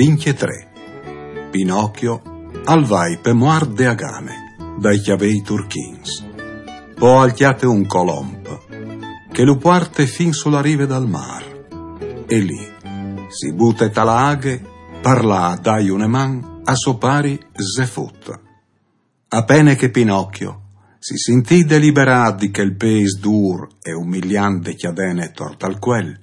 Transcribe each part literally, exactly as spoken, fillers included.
Vincjetré. Pinocchio al vai pe muart de Agane, dai cjavei turchins. Po al cjate un colomp, che lu puarte fin su la rive dal mar. E lì, si bute ta la aghe, par lâ a dai une man a so pari Zefut. Apene che Pinocchio si sintì deliberât di chel pês dûr e umiliant de cjadene tor tal cuel,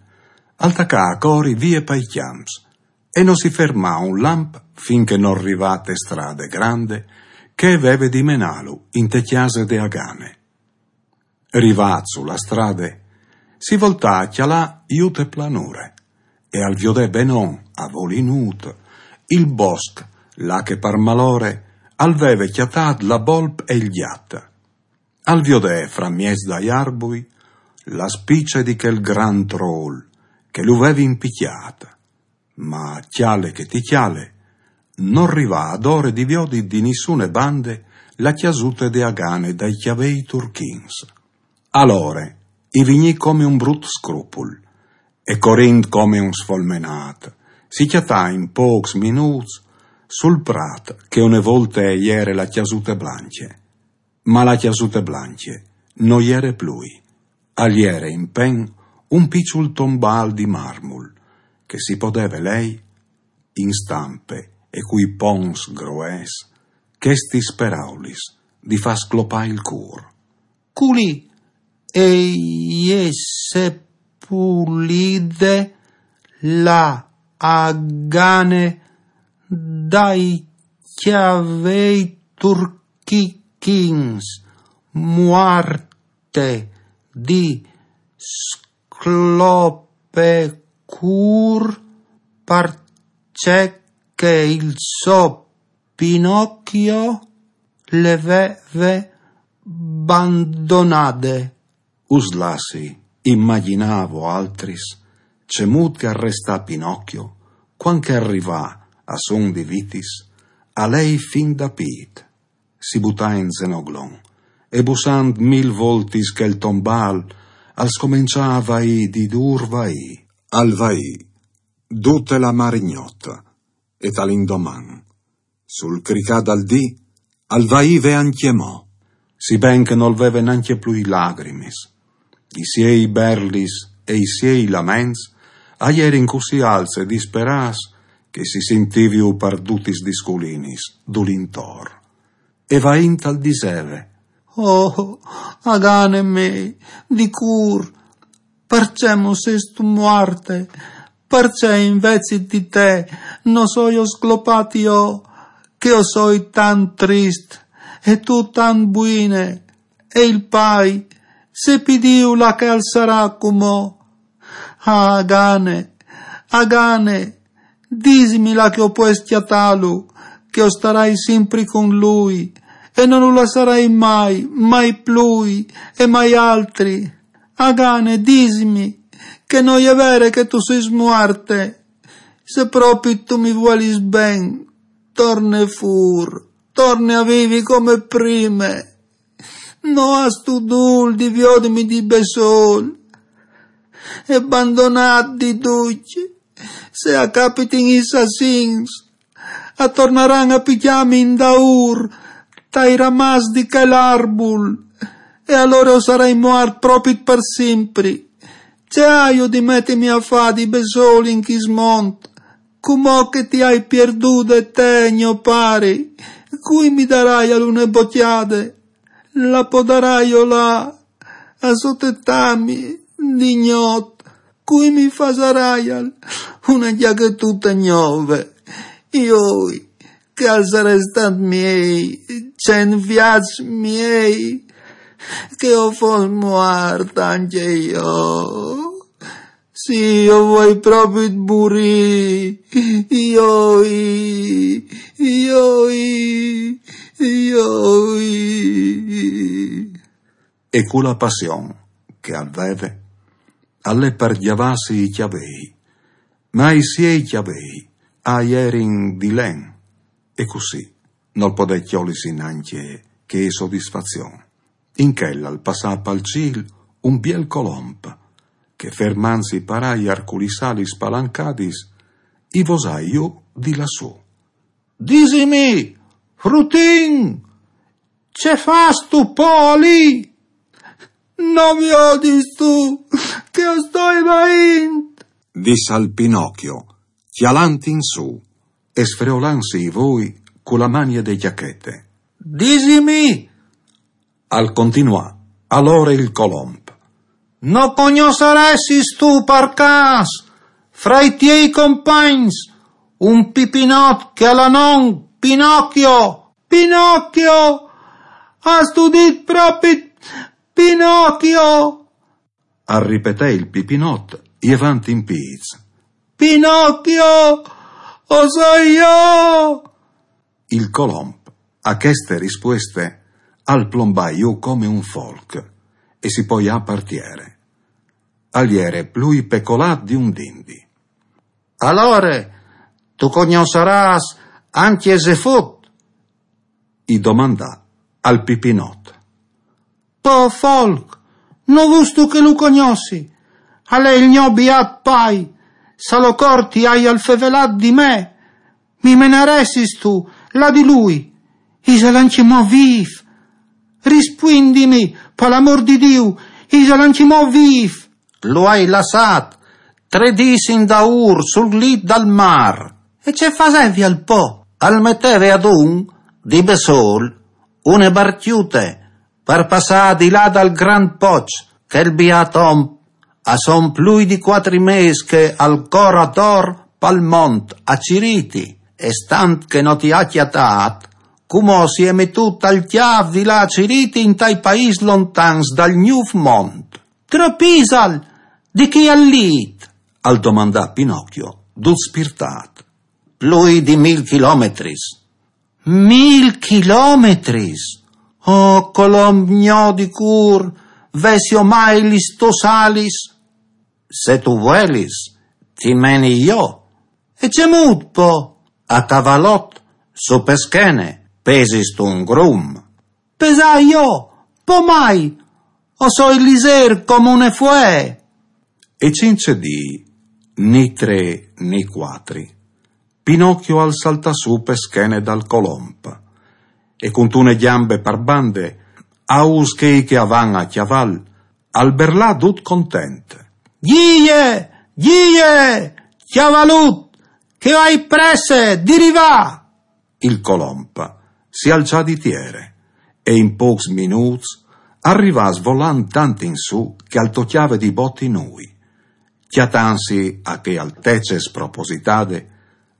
al tacà a cori vie pai cjamps e no si fermà un lamp fin che nol rivà te strade grande che e veve di menâlu inte cjase de Agane. Rivât su la strade, si voltà a cjalâ jù te planure e al viodè benon, a volinût, il bosc, là che par malore al veve cjatât la bolp e il gjat. Al viodè fra mieç dai arbui la spice di chel grant rôl che lu veve impicjât. Ma cjale che ti cjale, nol rivà adore di viodi di nissune bande la cjasute de Agane dai cjavei turchins. Alore i vignì come un brut scrupul, e corint come un sfolmenât, si cjatà in pôcs minûts sul prat che une volte e jere la cjasute blancje. Ma la cjasute blancje no jere plui, al jere impen un piçul tombâl di marmul, che si podeve lei, in stampe e cui ponts groes, chestis peraulis di fâ sclopâ il cûr. Culì e je sepulide la Agane dai cjavei turchins, muarte di sclopecûr, parcè che il so Pinocchio le veve bandonade. Us lassi imagjinâ voaltris cemût che al restà Pinocchio cuant che al rivà a son di vitis, a lei fin da pît. Si butà in zenoglon e, bussant mil voltis chel tombâl, al scomençà a vaî di dûr vaî. Al vaî dute la marignota e tal indoman, sul cricâ dal dì, al vaî ve ancjemò, si ben che nol veve nancje plui lagrimis. I siei berlis e i siei laments a jerin cussì alts e disperâts che si sintiviu par dutis lis culinis dulintor. E vaint al diseve: Oh, Agane mê, di cûr, parcè mo sêstu muarte? Parcè invezit di te no soio sclopât jo, che o soi tant trist, e tu tant buine, e il pai, sepi Diu là che al sarà cumò. Ah, Agane, Agane, disimi là che o pues cjatâlu, che o starai simpri cun lui, e no lu lassarai mai, mai plui, e mai altri. Agane, disimi, che no je vere che tu sês muarte. Se propit tu mi vuelis ben, torne fûr, torne a vivi come prime. No âstu dûl di viodimi di bessôl e bandonât di ducj. Se a capitin i sassins, a tornaran a picjâmi indaûr tai ramaçs di chel arbul, e alore o sarai muart propit par simpri. Ce aio di metimi a fâ di bessôl in chist mont, cumò che ti ai pierdude te, gno pari? Cui mi daraial une bocjade? La podaraio lâ a sotetâmi di gnot? Cui mi fasaraial une gjachetute gnove? Joi, che al sarès stât miei cent viaçs miei, che o fos muart ancje jo. Sì, o vuei propit murî. Joi, joi, joi. E cu la passion che al veve, al lè par gjavâsi i cjavei, ma i siei cjavei a jerin di len, e cussì nol podè cjolisi nancje chê sodisfazion. In chel al passà pal cîl un biel colomp, che fermantsi par aiar cu lis alis spalancadis, i vosà jù di lassù. Disimi, frutin, ce fâstu po li? No viodistu che o stoi vaint? Dissal Pinocchio, cjalant in sù e sfreolantsi i voi cu la manie de cjachete. Disimi, al continuà alore il colomb. No cognossaressistu par câs, fra i tiei compagns, un pipinot che al à non Pinocchio? Pinocchio! Âstu dit propit Pinocchio? Al ripetè il pipinot, jevant in pîts. Pinocchio! O soi jo! Il colomb, a cheste rispueste, al plombà jù come un folc e si poià par tiere. Al jere plui pecolât di un dindi. Alore, tu cognossarâs ancje Zefut? I domandà al pipinot. Po folc, no vustu che lu cognossi? Al è il gno biât pai, salocor ti aial fevelât di me. Mi menaressistu là di lui? Isal ancjemò vîf? Rispuindimi, pal amôr di Diu, isal ancjemò vîf? Lu ai lassât trê dîs indaûr sul lit dal mâr. E ce fasevial po? Al meteve adun, di bessôl, une barcjute par passâ di là dal grant poç che il biât om a son plui di cuatri mês che al cor ator pal mont a cirîti, e stant che no ti à cjatât, cumò si è metût al cjâf di lâ a cirîti intai paîs lontans dal gnûf mont. Trop isal di chi al lit? Al domandà Pinocchio, dut spirtât. Plui di mil chilometris. Mil chilometris? Oh, colomb gno di cûr, vessio mai lis tôs alis? Se tu vuelis, ti meni jo. E cemût po? A cavalot, su pe schene, pesistu un grum. Pesâ jo, po mai, o soi lizêr come une fuee. E cince dì, ni trê ni cuatri, Pinocchio al saltà su pe schene dal colomb e cuntune gjambe par bande, aus chei che a van a cjaval, al berlà dut content. Gjie, gjie, cjavalut, che o ai presse di rivâ! Il colomb si alçà di tiere e in pôcs minûts al rivà svolant tant in sù che al tocjave di bot i nûi. Cjatantsi a chê altece spropositade,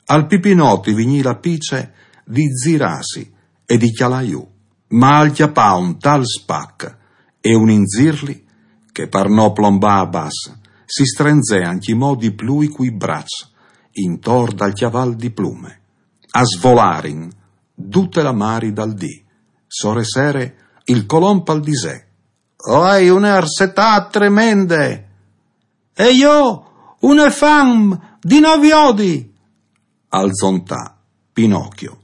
al pipinot i vignì la pice di zirâsi e di cjalâ jù, ma al cjapà un tal spac e un inzirli che par no plombâ a bas si strenzè ancjemò di plui cui braçs intor dal cjaval di plume. A svolarin dute la mari dal dì. Sore sere il colomb al disè: O ai une arsetât tremende! E jo une fam di no viodi! Al zontà Pinocchio.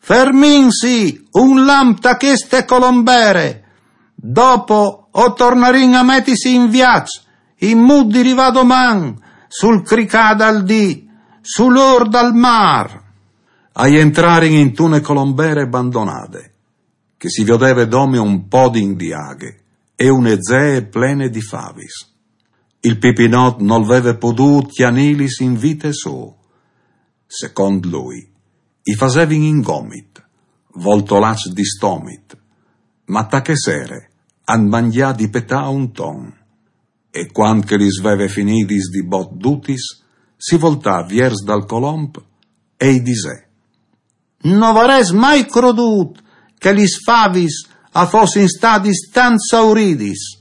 Fermìnsi un lamp ta cheste colombere, dopo o tornarìn a metisi in viaç, in mût di rivâ doman sul cricâ dal dì, sul ôr dal mâr. A jentrarin intune colombere bandonade, che si viodeve dome un podin di aghe e une zee plene di favis. Il pipinot nol veve podût cjanîlis in vite sô. Secont lui, i fasevin in gomit, voltolaçs di stomit, ma ta chê sere àn mangjât di petâ un ton. E cuant che lis veve finidis di bot dutis, si voltà viers dal colomb e i disè: No varès mai crodût che lis favis a fossin stadis tant sauridis.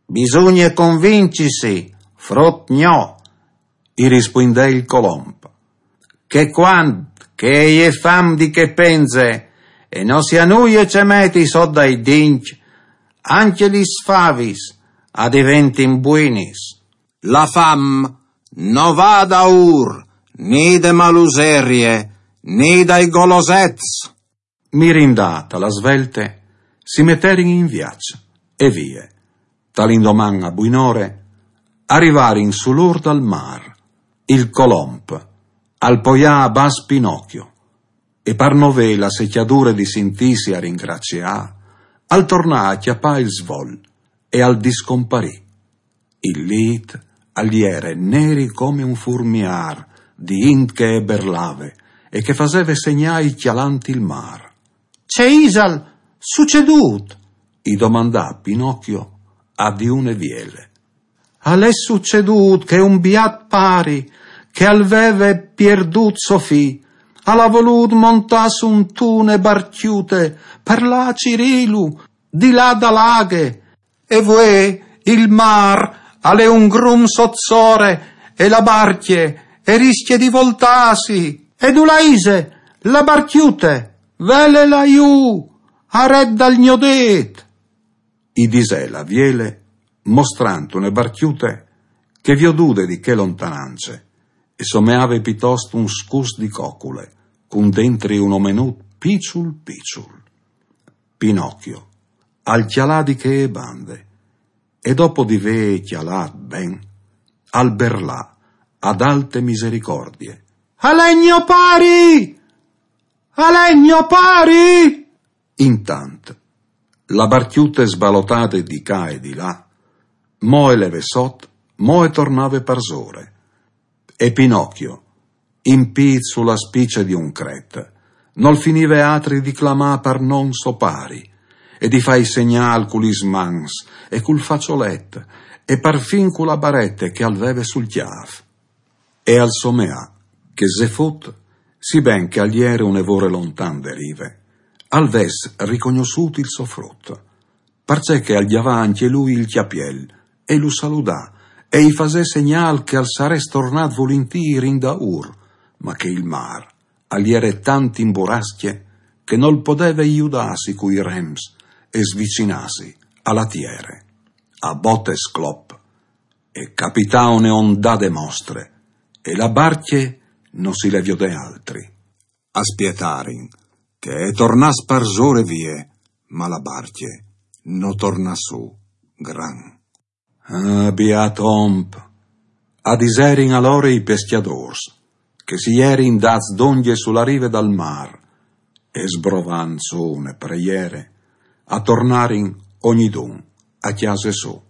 Bisugne convincisi, frut gno, i rispuindè il colomb, che cuant che e je fam di chê penze e no si à nuie ce meti sot dai dincj, ancje lis favis a diventin buinis. La fam no va daûr ni de maluserie ni dai golosets. Mirindât a la svelte, si meterin in viaç e vie. Tal indoman a buinore a rivarin sul ôr dal mâr. Il colomb Al poià a bas Pinocchio, e par no vê la secjadure di sintîsi a ringraciâ, al tornà a cjapâ il svol e al discomparì. Il lît al jere neri come un furmiâr di int che e berlave e che e faseve segnâi cjalant il mâr. Ce isal sucedût? I domandà Pinocchio a di une viele. Al è sucedût che un biât pari, che al veve pierdût so fi, al à volût montâ suntune barcjute par lâ a cirîlu di là da la aghe. E vuê il mâr al è un grum sot sore e la barcje e riscje di voltâsi. E dulà ise la barcjute? Velela jù, aret dal gno dêt, i disè la viele, mostrant une barcjute che, viodude di chê lontanance, e someave pitost un scus di cocule, cun dentri un omenut piçul piçul. Pinocchio al cjalà di chê bande e, dopo di vê cjalât ben, al berlà ad alte misericordie: Al è gno pari! Al è gno pari! Intant, la barcjute sbalotade di ca e di là, mo e leve sot, mo e tornave parsore. E Pinocchio, impît su la spice di un cret, nol finive altri di clamâ par non so pari, e di fâi segnâl cu lis mans e cul façolet, e parfin cu la barete che al veve sul cjâf. E al someà che Zefut, siben che al jere une vore lontan de rive, al ves ricognossût il so frut, parcè che al gjavà ancje lui il cjapiel, e lu saludà, e i fasè segnâl che al sarès tornât vulintîr indaûr, ma che il mâr al jere tant in burascje che nol podeve judâsi cui rems e svicinâsi a la tiere. A botes clop e capità une ondade mostre, e la barcje no si le viodè altri. A spietarin che e tornàs parsore vie, ma la barcje no tornà sù gran. Ah, biât om, a diserin alore i pescjadôrs, che si jerin dâts dongje su la rive dal mâr, e sbrovant sù une preiere, a tornarin ognidun a cjase sô.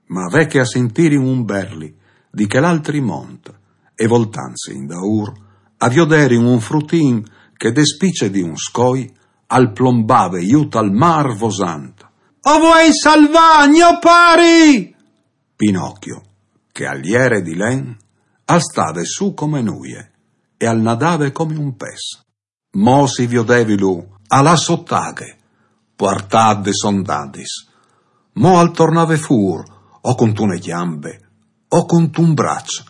Ma ve che a sintirin un berli di chel altri mont, e voltantsi indaûr, a vioderin un frutin che de spice di un scoi al plombave jù tal mâr vosant: O vuei salvâ gno pari! Pinocchio, che al jere di len, al stave sù come nuie e al nadave come un pes. Mo si viodevilu a lâ sot aghe, puartât des ondadis. Mo al tornave fûr, o cuntune gjambe, o cuntun braç,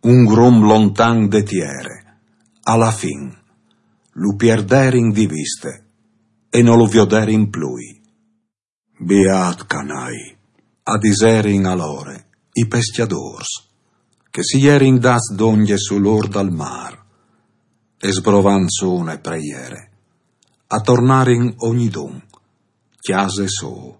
un grum lontan de tiere. A la fin lu pierderin di viste e no lu vioderin plui. Biât canai, a diserin alore i pescjadôrs, che si jerin dâts dongje sul ôr dal mâr, e sbrovant sù une preiere, a tornarin ognidun cjase sô.